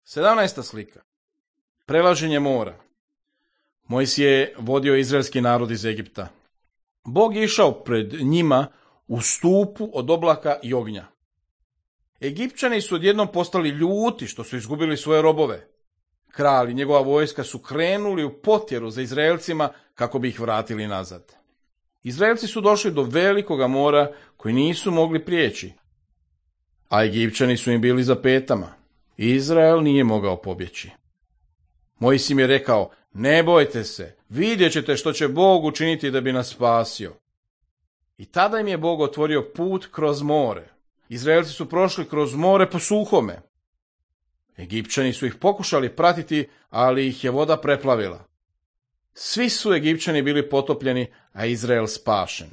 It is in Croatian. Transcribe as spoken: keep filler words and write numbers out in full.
sedamnaesta slika. Prelaženje mora. Mojsije je vodio izraelski narod iz Egipta. Bog je išao pred njima u stupu od oblaka i ognja. Egipćani su odjednom postali ljuti što su izgubili svoje robove. Kralj i njegova vojska su krenuli u potjeru za Izraelcima kako bi ih vratili nazad. Izraelci su došli do velikoga mora koji nisu mogli prijeći, a Egipćani su im bili za petama. Izrael nije mogao pobjeći. Mojsije im je rekao, ne bojte se, vidjet ćete što će Bog učiniti da bi nas spasio. I tada im je Bog otvorio put kroz more. Izraelci su prošli kroz more po suhome. Egipćani su ih pokušali pratiti, ali ih je voda preplavila. Svi su Egipćani bili potopljeni, a Izrael spašen.